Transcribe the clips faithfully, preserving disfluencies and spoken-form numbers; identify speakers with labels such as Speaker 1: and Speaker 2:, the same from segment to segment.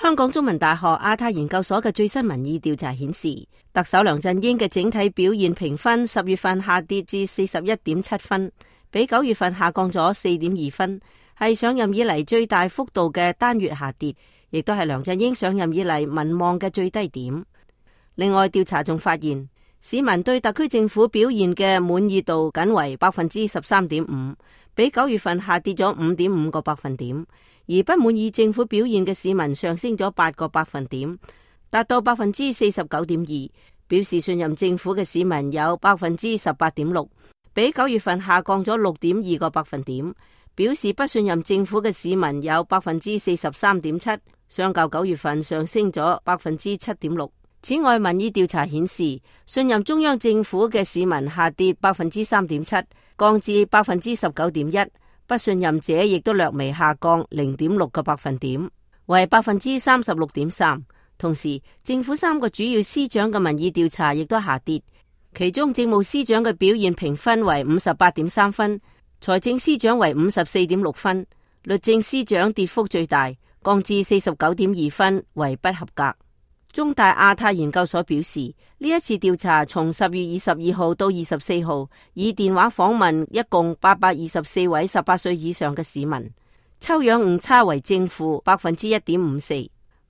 Speaker 1: 香港中文大學亞太研究所嘅最新民意調查顯示，特首梁振英嘅整體表現評分十月份下跌至四十一點七分，比九月份下降咗四點二分，係上任以嚟最大幅度嘅單月下跌，亦都係梁振英上任以嚟民望嘅最低點。另外，調查仲發現，市民對特區政府表現嘅滿意度僅為百分之十三點五，比九月份下跌咗五點五個百分點。而不滿意政府表現嘅市民上升咗八個百分點，達到百分之四十九點二。表示信任政府嘅市民有百分之十八點六，比九月份下降咗六點二個百分點。表示不信任政府嘅市民有百分之四十三點七，相較九月份上升咗百分之七點六。此外，民意調查顯示，信任中央政府嘅市民下跌百分之三點七，降至百分之十九點一。不信任者亦都略微下降零點六個百分點，為百分之三十六點三。同時，政府三個主要司長嘅民意調查亦都下跌，其中政務司長嘅表現評分為五十八點三分，財政司長為五十四點六分，律政司長跌幅最大，降至四十九點二分，為不合格。中大亞太研究所表示，呢一次調查從十月二十二號到二十四號，以電話訪問一共八百二十四位十八歲以上嘅市民，抽樣誤差為正負百分之一點五四。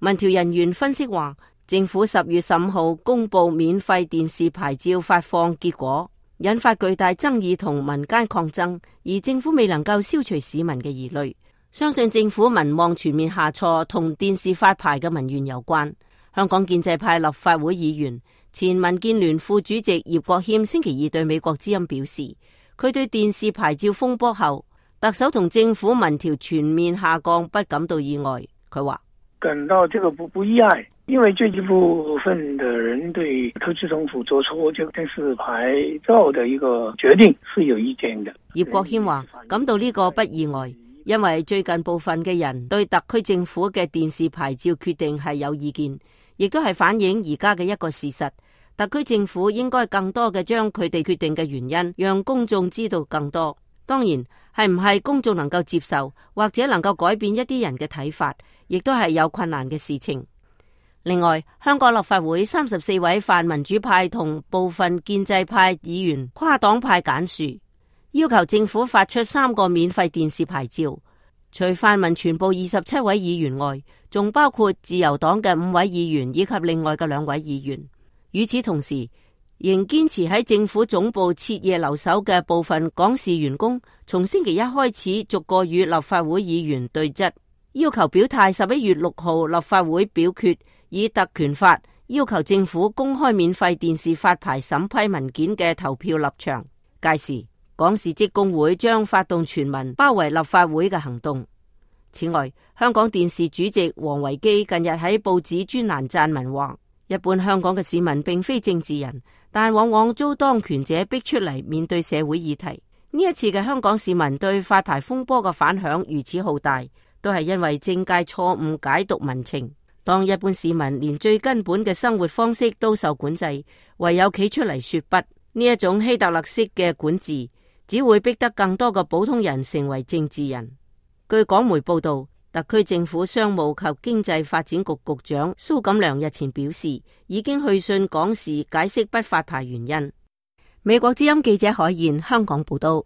Speaker 1: 民調人員分析話，政府十月十五號公布免費電視牌照發放結果，引發巨大爭議同民間抗爭，而政府未能夠消除市民嘅疑慮，相信政府民望全面下挫同電視發牌嘅民怨有關。香港建制派立法會議員、前民建聯副主席葉國謙星期二對美國之音表示，佢對電視牌照風波後特首同政府民調全面下降不感到意外。佢話
Speaker 2: 感到這個不不意外，因為最一部分的人對特區政府做出這個電視牌照的一個決定是有意見的。
Speaker 1: 葉國謙話感到呢個不意外，因為最近部分嘅人對特區政府嘅電視牌照決定係有意見，亦都係反映而家嘅一個事實。特區政府應該更多嘅將佢哋決定嘅原因，讓公眾知道更多。當然，係唔係公眾能夠接受，或者能夠改變一啲人嘅睇法，亦都係有困難嘅事情。另外，香港立法會三十四位泛民主派同部分建制派議員跨黨派揀樹，要求政府發出三個免費電視牌照。除泛民全部二十七位議員外，仲包括自由黨嘅五位議員以及另外嘅兩位議員。與此同時，仍堅持喺政府總部徹夜留守嘅部分港視員工，從星期一開始逐個與立法會議員對質，要求表態十一月六號立法會表決以特權法要求政府公開免費電視發牌審批文件嘅投票立場。屆時，港視職工會將發動全民包圍立法會嘅行動。此外，香港電視主席王維基近日喺報紙專欄撰文話，一般香港嘅市民並非政治人，但往往遭當權者逼出嚟面對社會議題。呢一次嘅香港市民對發牌風波嘅反響如此浩大，都係因為政界錯誤解讀民情。當一般市民連最根本嘅生活方式都受管制，唯有企出嚟說不，呢一種希特勒式嘅管治，只會逼得更多嘅普通人成為政治人。據港媒報道，特區政府商務及經濟發展局局長蘇錦樑日前表示，已經去信港視解釋不發牌原因。美國之音記者海燕香港報道。